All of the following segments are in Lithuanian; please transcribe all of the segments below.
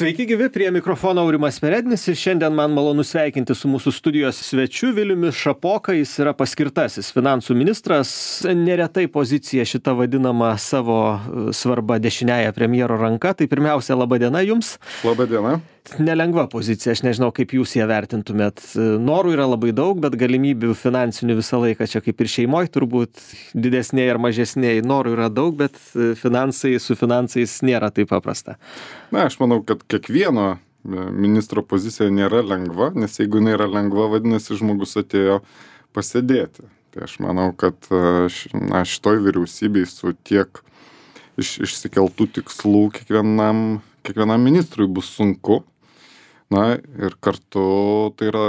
Sveiki gyvi, prie mikrofono Aurimas Perednis ir šiandien man malonu sveikinti su mūsų studijos svečiu Viliumi Šapoka. Jis yra paskirtasis finansų ministras. Neretai pozicija šita vadinama savo svarba dešiniąja premjero ranka. Tai pirmiausia, laba diena jums. Labą dieną. Nelengva pozicija, aš nežinau, kaip jūs ją vertintumėt. Norų yra labai daug, bet galimybių finansinių visą laiką čia kaip ir šeimoje turbūt didesnėje ar mažesnėje. Norų yra daug, bet su finansais nėra taip paprasta. Na, aš manau, kad kiekvieno ministro pozicija nėra lengva, nes jeigu jinai yra lengva, vadinasi, žmogus atėjo pasėdėti. Tai aš manau, kad šitoj vyriausybei su tiek išsikeltų tikslų kiekvienam ministrui bus sunku. Na ir kartu tai yra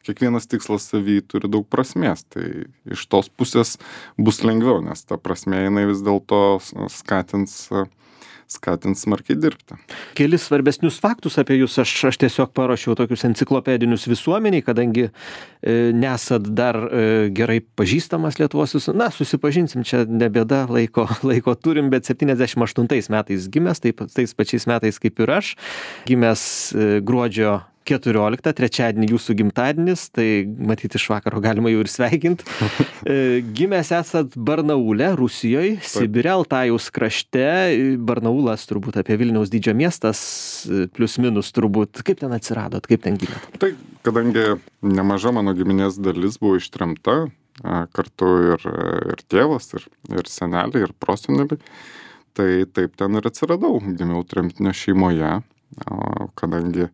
kiekvienas tikslas savy turi daug prasmės. Tai iš tos pusės bus lengviau, nes ta prasmė jinai vis dėlto skatins smarkiai dirbti. Kelis svarbesnius faktus apie jūs aš tiesiog paruošiau tokius enciklopedinius visuomeniai, kadangi nesat dar gerai pažįstamas Lietuvos susipažinsim, čia ne bėda, laiko turim, bet 78 metais gimęs, tais pačiais metais kaip ir aš, gimęs gruodžio 14, trečiadienį jūsų gimtadienis, tai matyti iš vakaro galima jau ir sveikinti. Gimęs esat Barnaule, Rusijoje, Sibire, Altajaus krašte. Barnaulas turbūt apie Vilniaus dydžio miestas, plius minus turbūt. Kaip ten atsiradot, kaip ten gimėt? Tai kadangi nemaža mano giminės dalis buvo ištremta, kartu ir tėvas, ir seneliai, ir proseneliai, tai taip ten ir atsiradau. Gimiau tremtinio šeimoje. Kadangi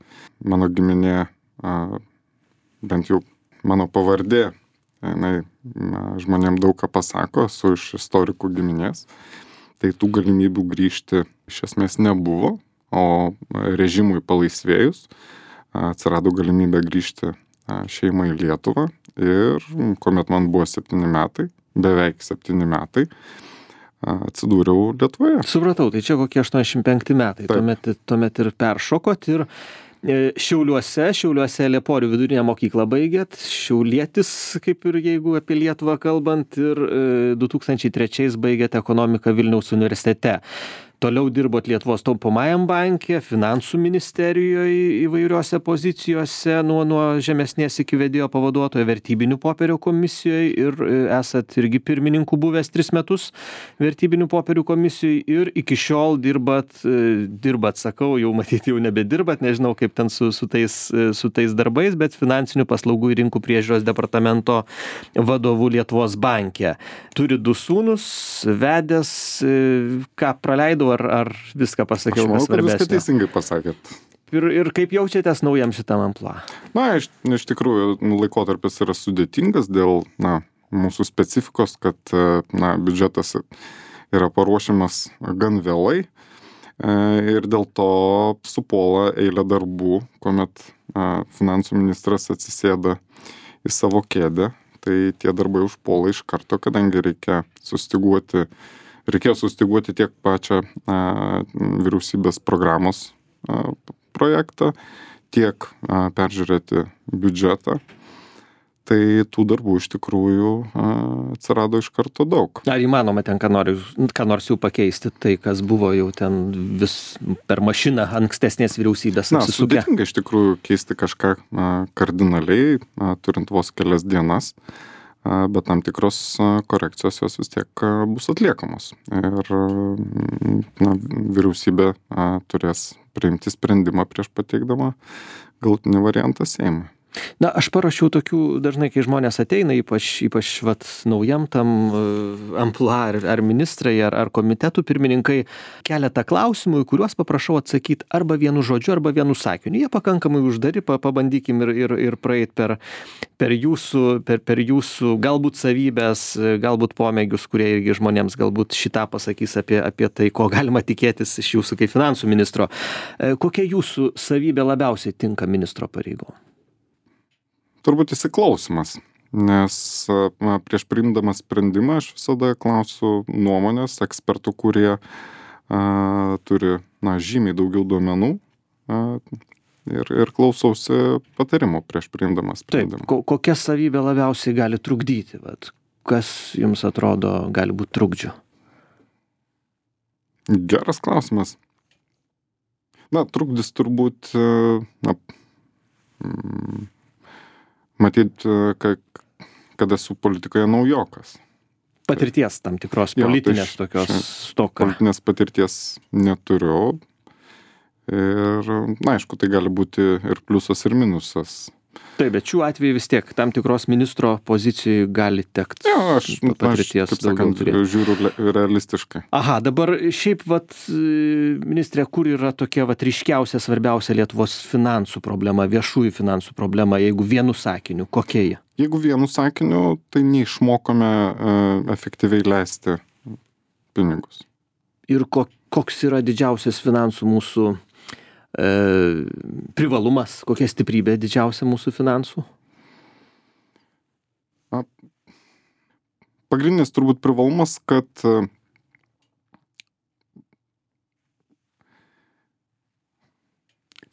mano giminė, bent jau mano pavardė, žmonėm daug ką pasako, esu iš istorikų giminės, tai tų galimybių grįžti iš esmės nebuvo, o režimui palaisvėjus atsirado galimybė grįžti šeimą į Lietuvą ir kuomet man buvo 7 metai, beveik 7 metai, atsidūriau Lietuvoje. Supratau, tai čia kokie 85 metai, tuomet ir peršokot ir Šiauliuose Lieporių vidurinę mokyklą baigėt, šiaulietis, kaip ir jeigu apie Lietuvą kalbant, ir 2003 baigėt ekonomiką Vilniaus universitete. Toliau dirbot Lietuvos taupomajam banke, finansų ministerijoje įvairiose pozicijose, nuo žemesnės iki vedėjo pavaduotojo vertybinių popierių komisijoje ir esat irgi pirmininku buvęs 3 metus vertybinių popierių komisijoje ir iki šiol dirbat, sakau, jau matyti jau nebedirbat, nežinau kaip ten su tais darbais, bet finansinių paslaugų ir rinkų priežiūros departamento vadovu Lietuvos banke. Turi 2 sūnus, vedęs, ką praleidau, ar viską pasakiau, kas svarbesnio? Aš manau, kad viską teisingai pasakėt. Ir kaip jaučiatės naujam šitam amplua? Na, iš tikrųjų, laikotarpis yra sudėtingas dėl mūsų specifikos, kad biudžetas yra paruošiamas gan vėlai ir dėl to supuola eilė darbų, kuomet finansų ministras atsisėda į savo kėdę, tai tie darbai užpuola iš karto, kadangi reikėjo sustiguoti tiek pačią vyriausybės programos projektą, tiek peržiūrėti biudžetą. Tai tų darbų iš tikrųjų atsirado iš karto daug. Ar įmanoma ten ką nors jau pakeisti, tai kas buvo jau ten vis per mašiną ankstesnės vyriausybės apsisukę? Sudėtinga iš tikrųjų keisti kažką kardinaliai, turint vos kelias dienas. Bet tam tikros korekcijos jos vis tiek bus atliekamos. Ir vyriausybė turės priimti sprendimą prieš pateikdama galutinį variantą Seimui. Na, aš parašiau tokių, dažnai, kai žmonės ateina, ypač naujam tam amplua, ar ministrai, ar komitetų pirmininkai, keletą klausimų, į kuriuos paprašau atsakyti arba vienu žodžiu, arba vienu sakiniu. Jie pakankamai uždari, pabandykim ir praeit per jūsų galbūt savybės, galbūt pomėgius, kurie irgi žmonėms galbūt šitą pasakys apie tai, ko galima tikėtis iš jūsų kaip finansų ministro. Kokia jūsų savybė labiausiai tinka ministro pareigom? Turbūt įsiklausimas, nes prieš priimdamas sprendimą aš visada klausiu nuomonės ekspertų, kurie turi žymiai daugiau duomenų ir klausausi patarimų prieš priimdamas sprendimą. Taip, kokia savybė labiausiai gali trukdyti? Kas jums atrodo gali būti trukdžiu? Geras klausimas. Na, trukdis turbūt, matyt, kad esu politikoje naujokas. Patirties tam tikros politinės tokios stoka. Politinės patirties neturiu. Ir, na, aišku, tai gali būti ir pliusas, ir minusas. Taip, bet šiuo atveju vis tiek tam tikros ministro pozicijai gali tekti. Aš kaip sakant, žiūriu realistiškai. Aha, dabar šiaip, ministrė, kur yra tokia ryškiausia, svarbiausia Lietuvos finansų problema, viešųjų finansų problema, jeigu vienu sakiniu, kokia ji? Jeigu vienu sakiniu, tai neišmokome efektyviai leisti pinigus. Ir koks yra didžiausias finansų mūsų privalumas, kokia stiprybė didžiausia mūsų finansų? Pagrindinis turbūt privalumas, kad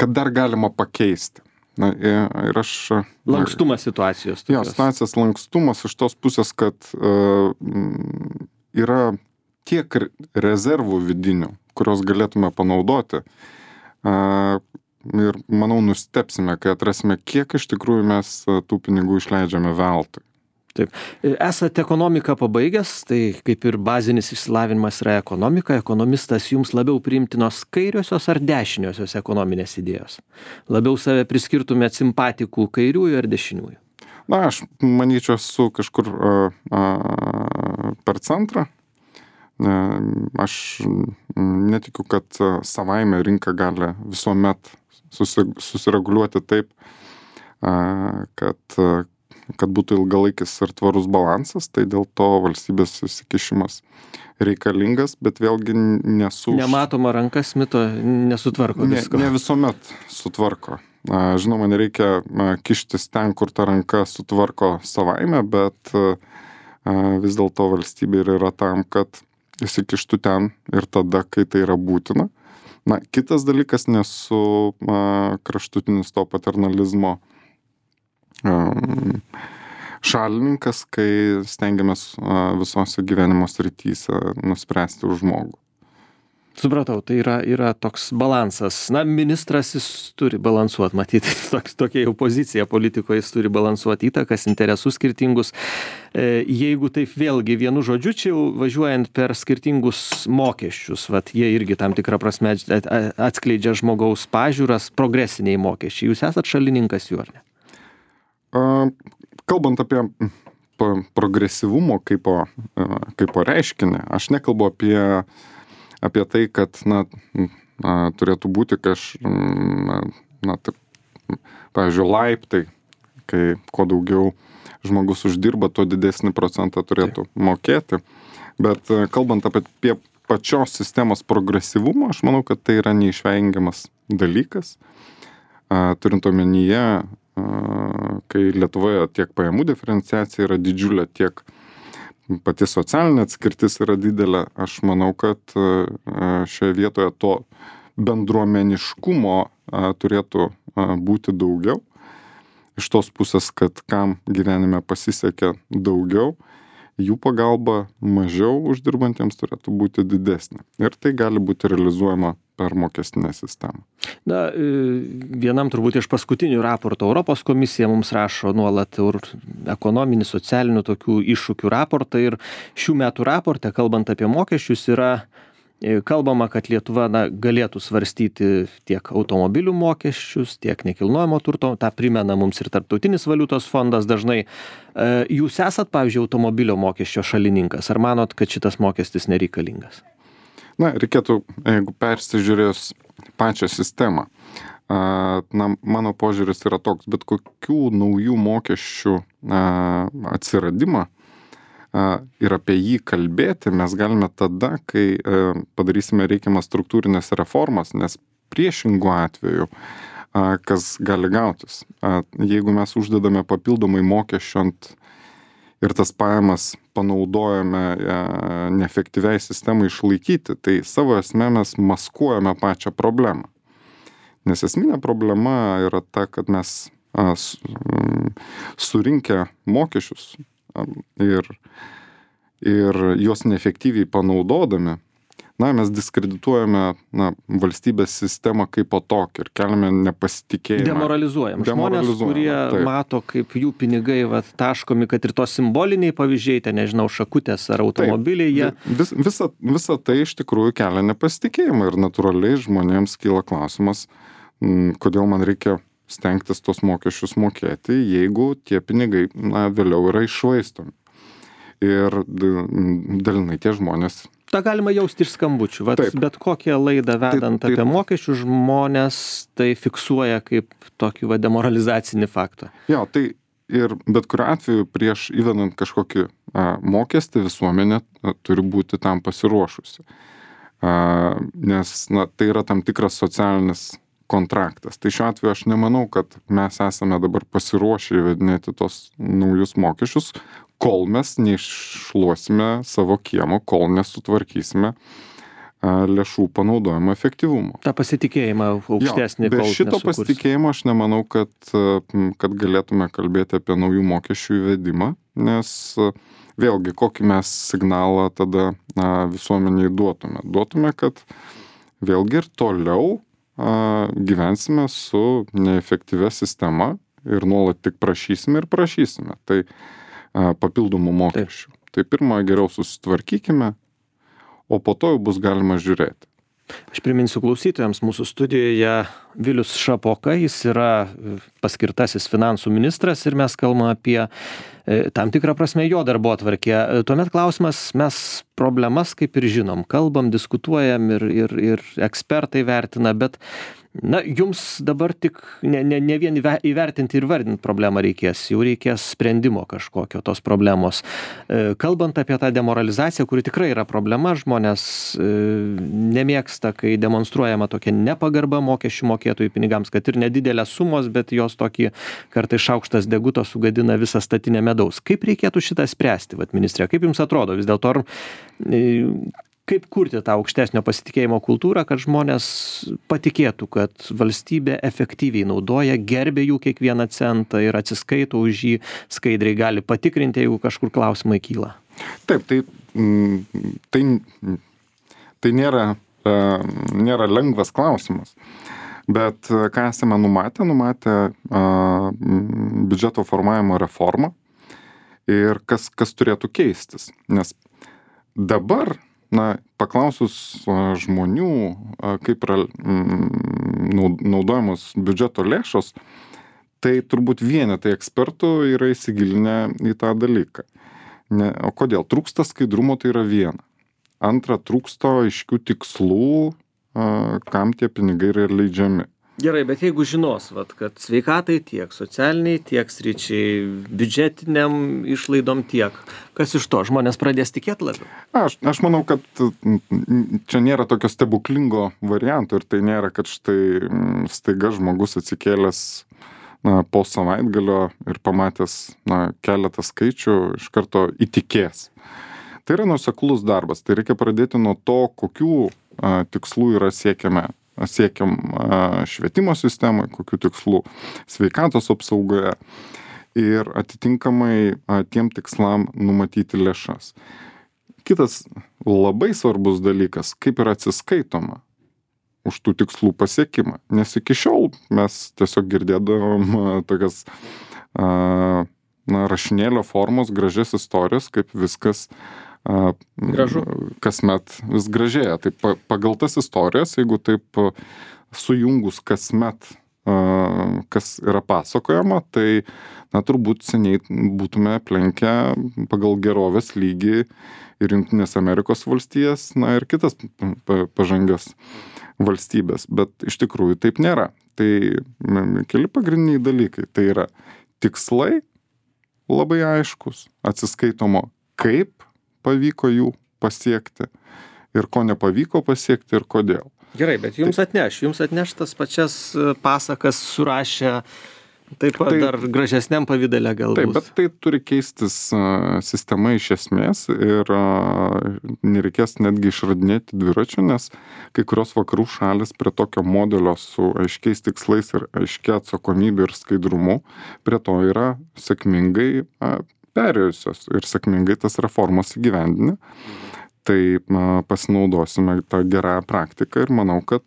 dar galima pakeisti. Na, ir aš... Lankstumas situacijos. Jo, situacijos lankstumas iš tos pusės, kad yra tiek rezervų vidinių, kurios galėtume panaudoti. Ir manau, nustepsime, kai atrasime, kiek iš tikrųjų mes tų pinigų išleidžiame veltui. Taip. Esate ekonomiką pabaigęs, tai kaip ir bazinis išsilavinimas yra ekonomika. Ekonomistas jums labiau priimtinos kairiosios ar dešiniosios ekonominės idėjos? Labiau save priskirtumėt simpatikų kairiųjų ar dešiniųjų? Na, aš manyčiau, esu kažkur per centrą. Aš netikiu, kad savaime rinka gali visuomet susireguliuoti taip, kad būtų ilgalaikis ir tvarus balansas, tai dėl to valstybės įsikišimas reikalingas, bet vėlgi Nematoma ranka Smito nesutvarko visko. Ne visuomet sutvarko. Žinoma, nereikia kištis ten, kur ta ranka sutvarko savaime, bet vis dėlto valstybė yra tam, kad įsikištų ten ir tada, kai tai yra būtina. Na, kitas dalykas, nesu kraštutinis to paternalizmo šalininkas, kai stengiamės visose gyvenimo srityse nuspręsti už žmogų. Supratau, tai yra toks balansas. Na, ministras jis turi balansuoti, matyti, tokia jau pozicija politikoje, jis turi balansuoti įtakas, interesus skirtingus. Jeigu taip vėlgi vienu žodžiu, čia jau važiuojant per skirtingus mokesčius, jie irgi tam tikrą prasme atskleidžia žmogaus pažiūras, progresiniai mokesčiai. Jūs esat šalininkas jų, ar ne? Kalbant apie progresyvumo kaip reiškinį, aš nekalbu apie tai, kad turėtų būti pavyzdžiui, laiptai, kai kuo daugiau žmogus uždirba, tuo didesnį procentą turėtų mokėti. Bet kalbant apie pačios sistemos progresyvumą, aš manau, kad tai yra neišvengiamas dalykas. Turint omenyje, kai Lietuvoje tiek pajamų diferenciacija yra didžiulė, tiek pati socialinė atskirtis yra didelė, aš manau, kad šioje vietoje to bendruomeniškumo turėtų būti daugiau. Iš tos pusės, kad kam gyvenime pasisekė daugiau, jų pagalba mažiau uždirbantiems turėtų būti didesnė. Ir tai gali būti realizuojama per mokestinę sistemą. Na, vienam turbūt iš paskutinių raportų Europos komisija mums rašo nuolat ekonominį, socialinių tokių iššūkių raportą ir šių metų raporte, kalbant apie mokesčius, yra kalbama, kad Lietuva galėtų svarstyti tiek automobilių mokesčius, tiek nekilnojamo turto, tą primena mums ir Tarptautinis valiutos fondas dažnai. Jūs esat, pavyzdžiui, automobilio mokesčio šalininkas, ar manot, kad šitas mokestis nereikalingas? Na, reikėtų, jeigu persižiūrės pačią sistemą, mano požiūris yra toks, bet kokių naujų mokesčių atsiradimą ir apie jį kalbėti mes galime tada, kai padarysime reikiamas struktūrinės reformas, nes priešingų atveju, kas gali gautis. Jeigu mes uždedame papildomai mokesčių ir tas pajamas panaudojame neefektyviai sistemai išlaikyti, tai savo esmę mes maskuojame pačią problemą. Nes esminė problema yra ta, kad mes surinkę mokesčius ir juos neefektyviai panaudodami, mes diskredituojame valstybės sistemą kaip po tokį ir keliame nepasitikėjimą. Demoralizuojam. Žmonės, kurie mato, kaip jų pinigai taškomi, kad ir tos simboliniai pavyzdžiai, ten nežinau, šakutės ar automobiliai, jie... Visa tai iš tikrųjų kelia nepasitikėjimą ir natūraliai žmonėms kyla klausimas, kodėl man reikia stengtis tos mokesčius mokėti, jeigu tie pinigai vėliau yra iššvaistomi. Ir dalinai tie žmonės... Ta galima jausti iš skambučių. Bet kokią laidą vedant apie mokesčių žmonės tai fiksuoja kaip tokį demoralizacinį faktą. Jo, tai ir bet kuriuo atveju prieš įvedant kažkokį mokestį visuomenė turi būti tam pasiruošusi. Nes tai yra tam tikras socialinis kontraktas. Tai šiuo atveju aš nemanau, kad mes esame dabar pasiruošę įvedinėti tos naujus mokesčius, kol mes neiššluosime savo kiemo, kol nesutvarkysime lėšų panaudojimo efektyvumo. Ta pasitikėjimą aukštesnį. Be šito pasitikėjimo aš nemanau, kad galėtume kalbėti apie naujų mokesčių įvedimą, nes vėlgi kokį mes signalą tada visuomeniai duotume. Duotume, kad vėlgi ir toliau gyvensime su neefektyvia sistema ir nuolat tik prašysime ir prašysime. Tai papildomų mokesčių. Tai pirmą geriau susitvarkykime, o po to jau bus galima žiūrėti. Aš priminsiu klausytojams, mūsų studijoje Vilius Šapoka, jis yra paskirtasis finansų ministras ir mes kalbame apie tam tikrą prasme jo darbotvarkę. Tuomet klausimas, mes problemas kaip ir žinom, kalbam, diskutuojam ir ekspertai vertina, bet jums dabar tik ne vien įvertinti ir vardinti problemą reikės, jau reikės sprendimo kažkokio tos problemos. Kalbant apie tą demoralizaciją, kuri tikrai yra problema, žmonės nemėgsta, kai demonstruojama tokia nepagarba mokesčių mokėtojų pinigams, kad ir nedidelės sumos, bet jos tokį kartais šaukštas deguto sugadina visą statinę medaus. Kaip reikėtų šitą spręsti, ministrė? Kaip jums atrodo vis dėlto, kaip kurti tą aukštesnio pasitikėjimo kultūrą, kad žmonės patikėtų, kad valstybė efektyviai naudoja, gerbė jų kiekvieną centą ir atsiskaito už jį, skaidriai gali patikrinti, jeigu kažkur klausimai kyla? Taip, tai nėra lengvas klausimas. Bet ką esame numatę biudžeto formavimo reformą ir kas turėtų keistis. Nes dabar paklausus žmonių, kaip yra naudojamos biudžeto lėšos, tai turbūt vienetai ekspertų yra įsigilinę į tą dalyką. O kodėl? Trūksta skaidrumo, tai yra viena. Antra, trūksta aiškių tikslų, kam tie pinigai yra leidžiami. Gerai, bet jeigu žinos, kad sveikatai tiek, socialiniai tiek sričiai, biudžetiniam išlaidom tiek, kas iš to? Žmonės pradės tikėti labiau? Aš manau, kad čia nėra tokio stebuklingo varianto ir tai nėra, kad štai staiga žmogus atsikėlęs po savaitgalio ir pamatęs keletą skaičių iš karto įtikės. Tai yra nuoseklus darbas. Tai reikia pradėti nuo to, kokių tikslų yra siekiam švietimo sistemoje, kokių tikslų sveikatos apsaugoje ir atitinkamai tiem tikslam numatyti lėšas. Kitas labai svarbus dalykas, kaip yra atsiskaitoma už tų tikslų pasiekimą. Nes iki šiol mes tiesiog girdėdavom tokias rašinėlio formos, gražias istorijas, kaip viskas gražu. Kasmet vis gražėja. Tai pagal tas istorijas, jeigu taip sujungus kasmet, kas yra pasakojama, tai turbūt seniai būtume aplenkę pagal gerovės lygį ir Jungtinės Amerikos valstijas, ir kitas pažangias valstybės. Bet iš tikrųjų taip nėra. Tai keli pagrindiniai dalykai. Tai yra tikslai labai aiškus, atsiskaitomo, kaip pavyko jų pasiekti ir ko nepavyko pasiekti ir kodėl. Gerai, bet jums atneš tas pačias pasakas surašę taip pat dar gražesniam pavidale galbūt. Taip, bet tai turi keistis sistema iš esmės ir nereikės netgi išradinėti dviračių, nes kai kurios vakarų šalis prie tokio modelio su aiškiais tikslais ir aiškia atsakomybė ir skaidrumu prie to yra sėkmingai perėjusios ir sėkmingai tas reformas įgyvendinę. Tai pasinaudosime tą gerąją praktiką ir manau, kad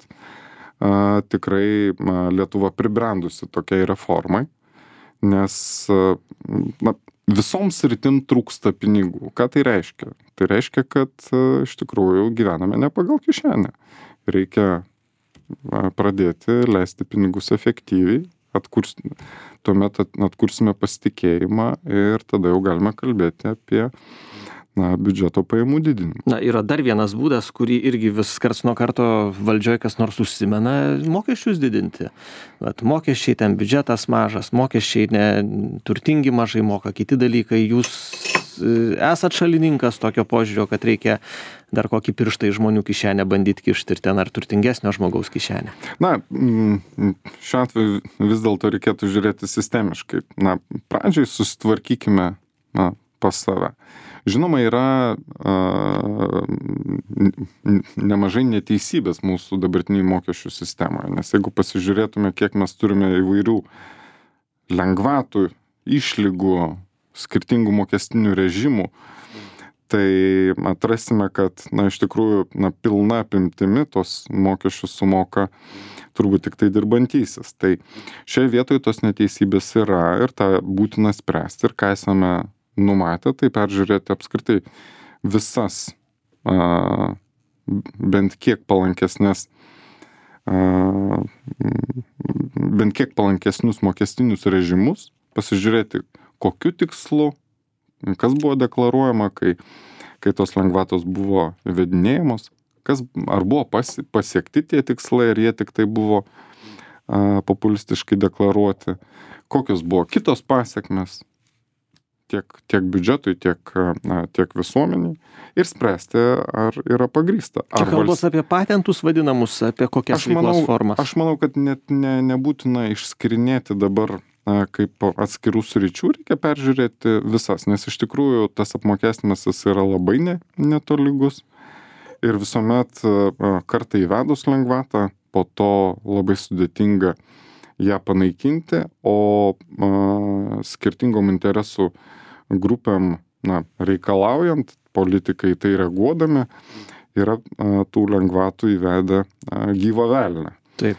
tikrai Lietuva pribrendusi tokiai reformai, nes visoms sritim trūksta pinigų. Ką tai reiškia? Tai reiškia, kad iš tikrųjų gyvename ne pagal kišenę. Reikia pradėti leisti pinigus efektyviai, tuomet atkursime pasitikėjimą ir tada jau galime kalbėti apie biudžeto pajamų didinimą. Na, yra dar vienas būdas, kurį irgi vis karts nuo karto valdžioje kas nors užsimena, mokesčius didinti. Vat mokesčiai, ten biudžetas mažas, mokesčiai turtingi mažai moka, kiti dalykai. Jūs esat šalininkas tokio požiūrio, kad reikia dar kokį pirštą į žmonių kišenę bandyti kišti ir ten ar turtingesnio žmogaus kišenę? Na, šiuo atveju vis dėlto reikėtų žiūrėti sistemiškai. Na, pradžiai susitvarkykime pas save. Žinoma, yra nemažai neteisybės mūsų dabartiniai mokesčių sistemoje, nes jeigu pasižiūrėtume, kiek mes turime įvairių lengvatų, išlygų, skirtingų mokestinių režimų, tai atrasime, kad, iš tikrųjų, pilna apimtimi tos mokesčius sumoka turbūt tik tai dirbantysis. Tai šioje vietoje tos neteisybės yra ir tą būtina spręsti ir ką esame numatę, tai peržiūrėti apskritai visas bent kiek palankesnius mokestinius režimus, pasižiūrėti, kokiu tikslu, kas buvo deklaruojama, kai tos lengvatos buvo įvedinėjamos, ar buvo pasiekti tie tikslai, ar jie tik tai buvo populistiškai deklaruoti, kokios buvo kitos pasekmės tiek biudžetui, tiek visuomeniai ir spręsti, ar yra pagrįsta. Čia kalbos apie patentus vadinamus, apie kokias veiklos formas? Aš manau, kad net nebūtina išskirinėti dabar kaip atskirų sričių, reikia peržiūrėti visas, nes iš tikrųjų tas apmokestinimas yra labai netolygus ir visuomet kartą įvedus lengvatą, po to labai sudėtinga ją panaikinti, o skirtingom interesų grupėm reikalaujant, politikai tai reaguodami, yra tų lengvatų įvedę gyvą velnią. Taip.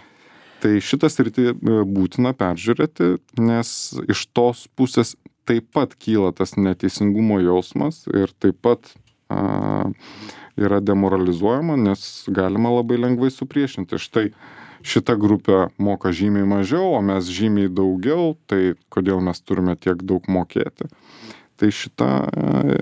Tai šitą sritį būtina peržiūrėti, nes iš tos pusės taip pat kyla tas neteisingumo jausmas ir taip pat yra demoralizuojama, nes galima labai lengvai supriešinti. Štai šita grupė moka žymiai mažiau, o mes žymiai daugiau, tai kodėl mes turime tiek daug mokėti? Tai šitą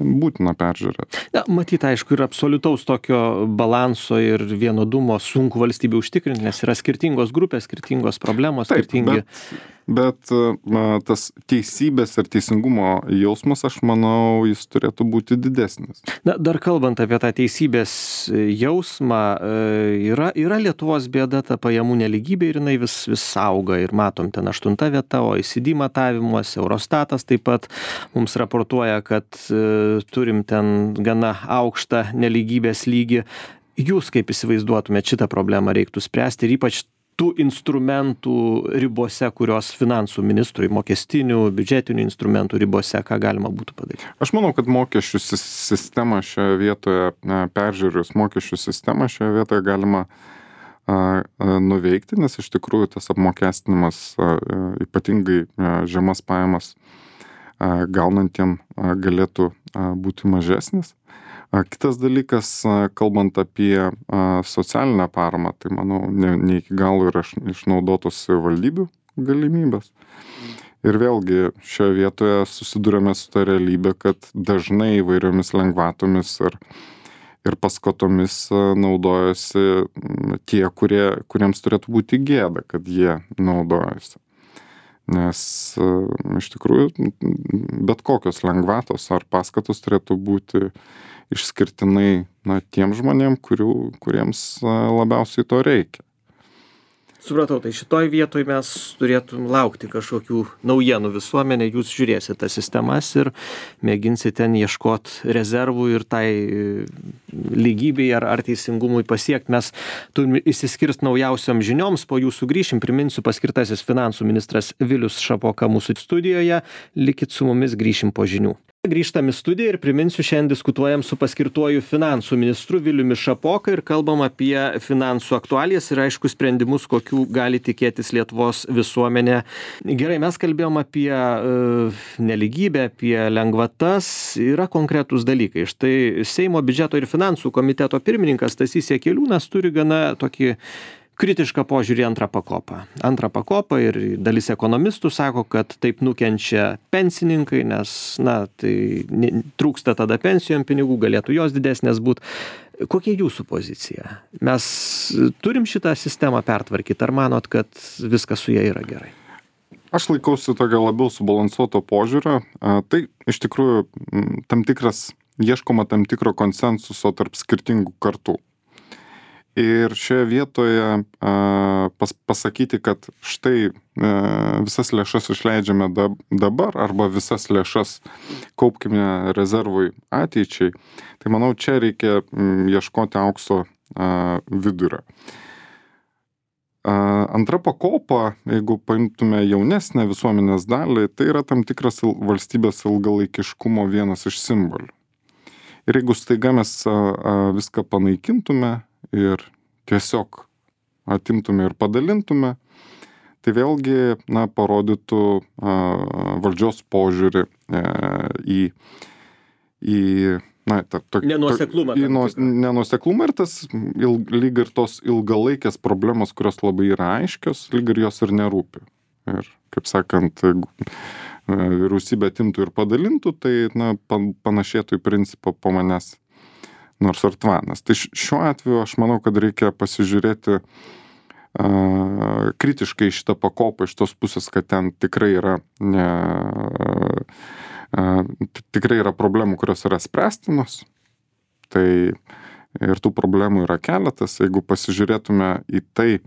būtina peržiūrėti. Na, matyt, aišku, ir absoliutaus tokio balanso ir vienodumo sunku valstybė užtikrinti, nes yra skirtingos grupės, skirtingos problemos, taip, skirtingi. Bet tas teisybės ir teisingumo jausmas, aš manau, jis turėtų būti didesnis. Na, dar kalbant apie tą teisybės jausmą, yra Lietuvos bėda ta pajamų nelygybė ir jinai vis auga ir matom ten 8 vieta, OECD matavimuose, Eurostatas taip pat mums raportuoja, kad turim ten gana aukštą nelygybės lygį. Jūs kaip įsivaizduotumėt šitą problemą reiktų spręsti ir ypač tų instrumentų ribose, kurios finansų ministrui, mokestinių, biudžetinių instrumentų ribose, ką galima būtų padaryti? Aš manau, kad mokesčių sistemą šioje vietoje, peržiūrėjus mokesčių sistemą šioje vietoje galima nuveikti, nes iš tikrųjų tas apmokestinimas ypatingai žemas pajamas gaunantiem galėtų būti mažesnis. Kitas dalykas, kalbant apie socialinę paramą, tai manau, ne iki galo yra išnaudotos savivaldybių galimybės. Ir vėlgi šioje vietoje susidurėme su ta realybė, kad dažnai įvairiomis lengvatomis ir paskatomis naudojasi tie, kuriems turėtų būti gėda, kad jie naudojasi. Nes iš tikrųjų bet kokios lengvatos ar paskatos turėtų būti išskirtinai tiem žmonėm, kuriems labiausiai to reikia. Supratau, tai šitoj vietoj mes turėtum laukti kažkokių naujienų visuomenė, jūs žiūrėsite tas sistemas ir mėginsite ten ieškoti rezervų ir tai lygybei ar teisingumui pasiekti. Mes turime išsiskirti naujausiom žinioms, po jų sugrįšim, priminsiu, paskirtasis finansų ministras Vilius Šapoka mūsų studijoje, likit su mumis, grįšim po žinių. Grįžtam į studiją ir priminsiu, šiandien diskutuojam su paskirtuoju finansų ministru Viliumi Šapoka ir kalbam apie finansų aktualijas ir aišku sprendimus, kokių gali tikėtis Lietuvos visuomenė. Gerai, mes kalbėjom apie neligybę, apie lengvatas, yra konkretūs dalykai. Štai Seimo biudžeto ir finansų komiteto pirmininkas Stasys Jakeliūnas turi gana tokį kritišką požiūrį antrą pakopą. Antrą pakopą ir dalis ekonomistų sako, kad taip nukenčia pensininkai, nes, tai trūksta tada pensijom pinigų, galėtų jos didesnės būti. Kokia jūsų pozicija? Mes turim šitą sistemą pertvarkyti, ar manot, kad viskas su ja yra gerai? Aš laikausi tokio labiau subalansuoto požiūrio. Tai iš tikrųjų ieškoma tam tikro konsensuso tarp skirtingų kartų. Ir šioje vietoje pasakyti, kad štai visas lėšas išleidžiame dabar arba visas lėšas kaupkime rezervui ateičiai, tai manau, čia reikia ieškoti aukso vidurio. Antra pakopa, jeigu paimtume jaunesnę visuomenės dalį, tai yra tam tikras valstybės ilgalaikiškumo vienas iš simbolių. Ir jeigu staiga mes viską panaikintume ir tiesiog atimtume ir padalintume, tai vėlgi, parodytų valdžios požiūrį į nenuoseklumą. Nenuoseklumą ir tas lyg ir tos ilgalaikės problemos, kurios labai yra aiškios, lyg ir jos ir nerūpi. Ir, kaip sakant, vyriausybė atimtų ir padalintų, tai panašėtų į principą po manęs nors ar tvanas. Tai šiuo atveju aš manau, kad reikia pasižiūrėti kritiškai šitą pakopą iš tos pusės, kad ten tikrai yra problemų, kurios yra spręstinos. Tai ir tų problemų yra keletas. Jeigu pasižiūrėtume į tai,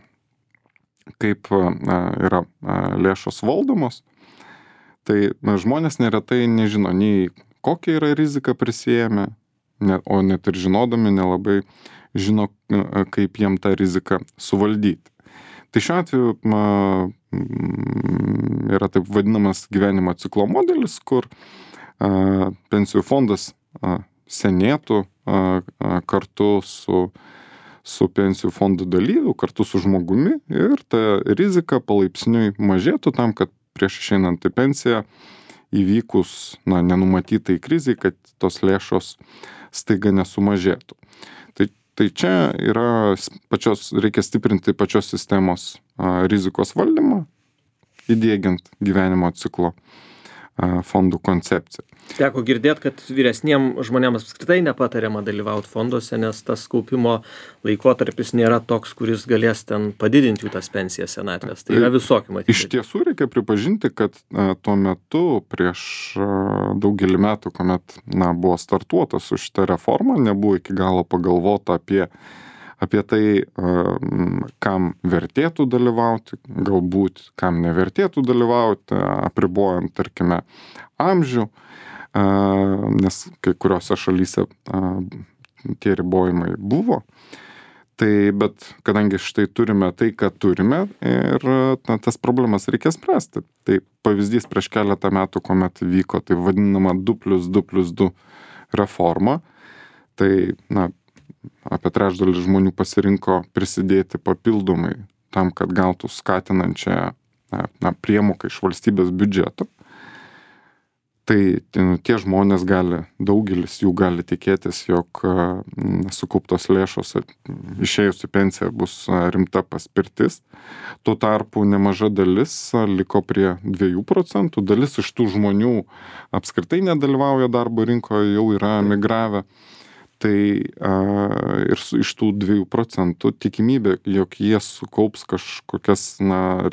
kaip yra lėšos valdomos, tai žmonės neretai nežino nei kokią yra riziką prisijėmę, o net ir žinodami nelabai žino, kaip jiem tą riziką suvaldyti. Tai šiuo atveju yra taip vadinamas gyvenimo ciklo modelis, kur pensijų fondas senėtų kartu su pensijų fondų dalyviu, kartu su žmogumi ir ta rizika palaipsniui mažėtų tam, kad prieš išeinant į pensiją įvykus nenumatytai krizai, kad tos lėšos staiga nesumažėtų. Tai čia reikia stiprinti pačios sistemos rizikos valdymą, įdiegiant gyvenimo ciklo fondų koncepciją. Teko girdėti, kad vyresniem žmonėms apskritai nepatariama dalyvauti fonduose, nes tas kaupimo laikotarpis nėra toks, kuris galės ten padidinti jų tas pensijas senatvės. Tai yra visokių matyti. Iš tiesų reikia pripažinti, kad tuo metu prieš daugelį metų, kuomet buvo startuota su šita reforma, nebuvo iki galo pagalvota apie tai, kam vertėtų dalyvauti, galbūt kam nevertėtų dalyvauti, apribojant, tarkime, amžių, nes kai kuriuose šalyse tie ribojimai buvo. Bet kadangi štai turime tai, ką turime ir tas problemas reikia spręsti. Tai pavyzdys prieš keletą metų, kuomet vyko tai vadinama 2+2+2 reforma, tai apie trečdalis žmonių pasirinko prisidėti papildomai tam, kad gautų skatinančią priemoką iš valstybės biudžeto. Tai tie žmonės daugelis jų gali tikėtis, jog sukauptos lėšos išėjus į pensiją bus rimta paspirtis. Tuo tarpu nemaža dalis liko prie 2%, dalis iš tų žmonių apskritai nedalyvauja darbo rinkoje, jau yra emigravę. Tai ir iš tų 2% tikimybė, jog jie sukaups kažkokias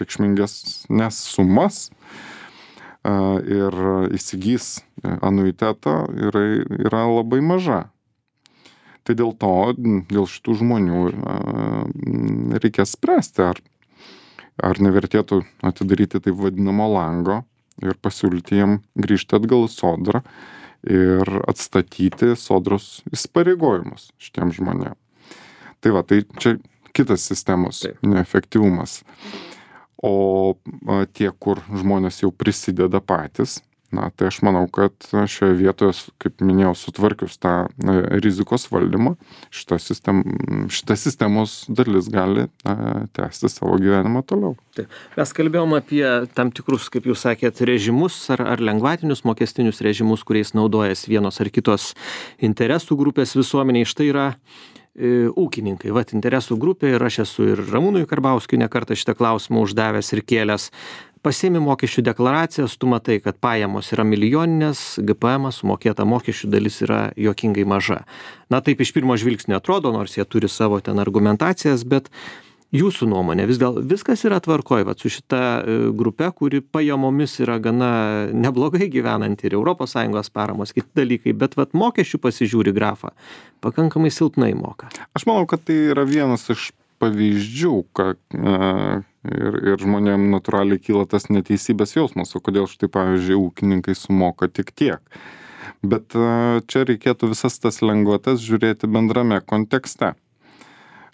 reikšmingesnes sumas ir įsigys anuitetą yra labai maža. Tai dėl šitų žmonių reikės spręsti, ar nevertėtų atidaryti taip vadinamo lango ir pasiūlyti jiem grįžti atgal į sodrą ir atstatyti sodros įsipareigojimus šitiem žmonėm. Tai čia kitas sistemos neefektyvumas. O tie, kur žmonės jau prisideda patys, Tai aš manau, kad šioje vietoje, kaip minėjau, sutvarkius tą rizikos valdymą, šita sistemos dalis gali tęsti savo gyvenimą toliau. Taip. Mes kalbėjom apie tam tikrus, kaip jūs sakėt, režimus ar lengvatinius mokestinius režimus, kuriais naudojasi vienos ar kitos interesų grupės visuomeniai. Štai yra ūkininkai, interesų grupė, ir aš esu ir Ramūnui Karbauskiui ne kartą šitą klausimą uždavęs ir kėlęs. Pasiemi mokesčių deklaracijas, tu matai, kad pajamos yra milijoninės, GPM sumokėta mokesčių dalis yra juokingai maža. Taip iš pirmo žvilgsnio atrodo, nors jie turi savo ten argumentacijas, bet jūsų nuomonė, viskas yra tvarkoj, su šita grupe, kuri pajamomis yra gana neblogai gyvenanti, ir ES paramos, kiti dalykai, bet mokesčių pasižiūri grafą, pakankamai silpnai moka. Aš manau, kad tai yra vienas iš pavyzdžių, kad ir žmonėm natūraliai kyla tas neteisybės jausmas, o kodėl štai, pavyzdžiui, ūkininkai sumoka tik tiek. Bet čia reikėtų visas tas lengvatas žiūrėti bendrame kontekste.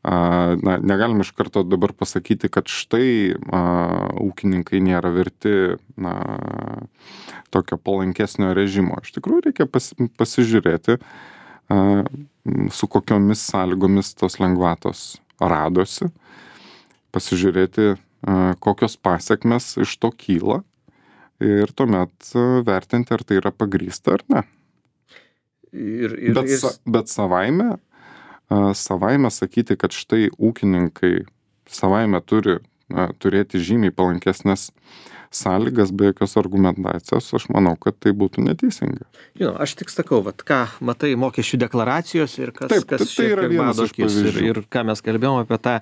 Negalim iš karto dabar pasakyti, kad štai ūkininkai nėra verti tokio palankesnio režimo. Iš tikrųjų reikia pasižiūrėti, su kokiomis sąlygomis tos lengvatos radosi, pasižiūrėti, kokios pasekmes iš to kyla ir tuomet vertinti, ar tai yra pagrįsta ar ne. Bet savaime sakyti, kad štai ūkininkai savaime turi turėti žymiai palankesnės sąlygas be jokios argumentacijos, aš manau, kad tai būtų neteisinga. Aš tik sakau, ką matai mokesčių deklaracijos ir kas tai yra vienas iš pavyzdžių. Ir ką mes kalbėjom apie tą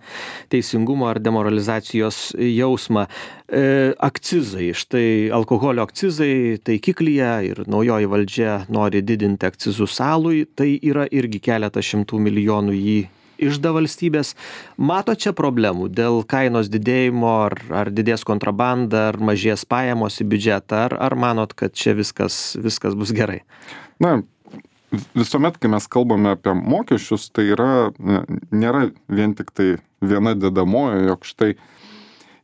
teisingumo ar demoralizacijos jausmą. Akcizai, štai alkoholio akcizai taikiklyje ir naujoji valdžia nori didinti akcizus alui, tai yra irgi keletas šimtų milijonų jį išda valstybės. Mato čia problemų dėl kainos didėjimo, ar didės kontrabanda, ar mažės pajamos į biudžetą, ar manot, kad čia viskas bus gerai? Visuomet, kai mes kalbame apie mokesčius, tai nėra vien tik tai viena dedamoji, jog štai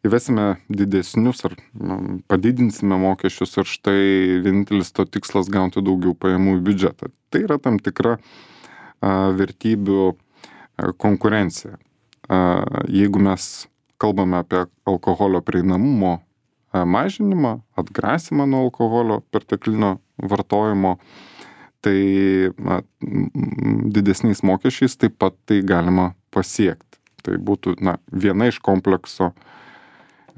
įvesime didesnius ar padidinsime mokesčius ir štai vienintelis to tikslas gauti daugiau pajamų į biudžetą. Tai yra tam tikra vertybių konkurencija. Jeigu mes kalbame apie alkoholio prieinamumo mažinimą, atgrasymą nuo alkoholio perteklinio vartojimo, tai didesniais mokesčiais taip pat tai galima pasiekti. Tai būtų viena iš komplekso,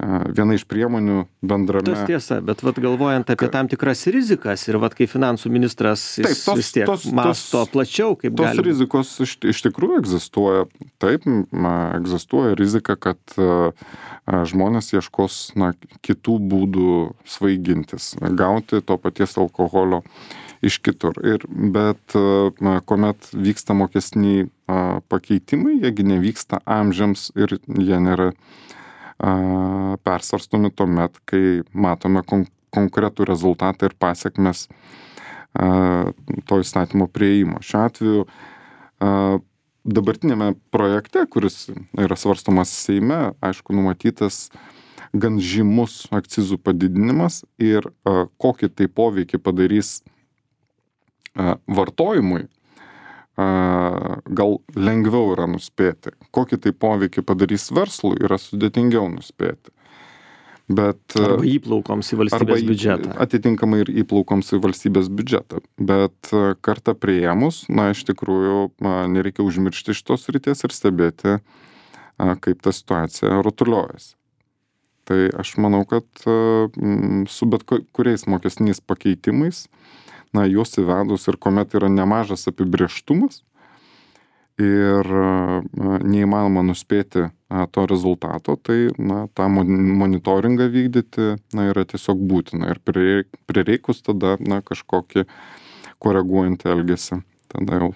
viena iš priemonių bendrame. Tas tiesa, bet galvojant apie tam tikras rizikas ir kai finansų ministras vis tiek masto plačiau, kaip gali. Tos rizikos iš tikrųjų egzistuoja. Taip, egzistuoja rizika, kad žmonės ieškos kitų būdų svaigintis, gauti to paties alkoholio iš kitur. Bet kuomet vyksta mokestiniai pakeitimai, jiegi nevyksta amžiams ir jie nėra persvarstomi tuomet, kai matome konkretų rezultatą ir pasekmes to įstatymo priėjimo. Šiuo atveju dabartinėme projekte, kuris yra svarstomas Seime, aišku, numatytas gan žymus akcizų padidinimas ir kokį tai poveikį padarys vartojimui, gal lengviau yra nuspėti. Kokį tai poveikį padarys verslui, yra sudėtingiau nuspėti. Arba įplaukoms į valstybės biudžetą. Atitinkamai ir įplaukoms į valstybės biudžetą. Bet kartą priėmus, iš tikrųjų, nereikia užmiršti šitos srities ir stebėti, kaip ta situacija rutuliojasi. Tai aš manau, kad su bet kuriais mokestiniais pakeitimais, juos įvedus ir kuomet yra nemažas apibrėžtumas ir neįmanoma nuspėti to rezultato, tai tą monitoringą vykdyti yra tiesiog būtina ir prireikus tada kažkokį koreguojantį elgesį tada jau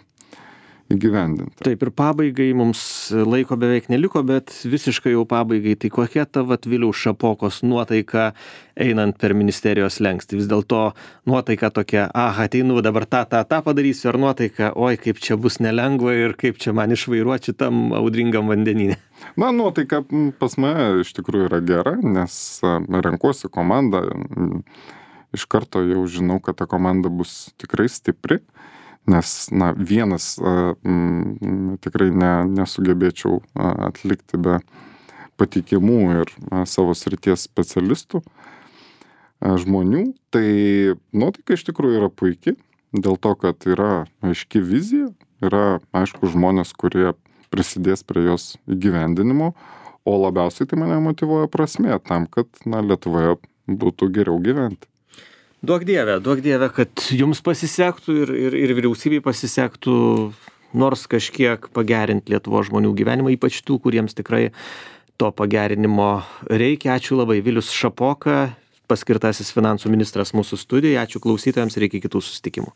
įgyvendinti. Taip, ir pabaigai mums laiko beveik neliko, bet visiškai jau pabaigai, tai kokia ta Viliaus Šapokos nuotaika einant per ministerijos slenkstį? Vis dėlto nuotaika tokia, ateinu dabar tą padarysiu, ar nuotaika, oi, kaip čia bus nelengva ir kaip čia man išvairuoti šitam audringam vandenyne? Nuotaika pas mane iš tikrųjų yra gera, nes renkuosi komandą iš karto jau žinau, kad ta komanda bus tikrai stipri, nes vienas tikrai nesugebėčiau atlikti be patikimų ir savo srities specialistų žmonių. Tai nuotaika iš tikrųjų yra puikiai, dėl to, kad yra aiški vizija, yra aišku žmonės, kurie prisidės prie jos įgyvendinimo, o labiausiai tai mane motyvuoja prasmė tam, kad Lietuvoje būtų geriau gyventi. Duok dieve, kad jums pasisektų ir vyriausybei pasisektų nors kažkiek pagerinti Lietuvos žmonių gyvenimą, ypač tų, kuriems tikrai to pagerinimo reikia. Ačiū labai. Vilius Šapoka, paskirtasis finansų ministras mūsų studijoje. Ačiū klausytojams ir iki kitų susitikimų.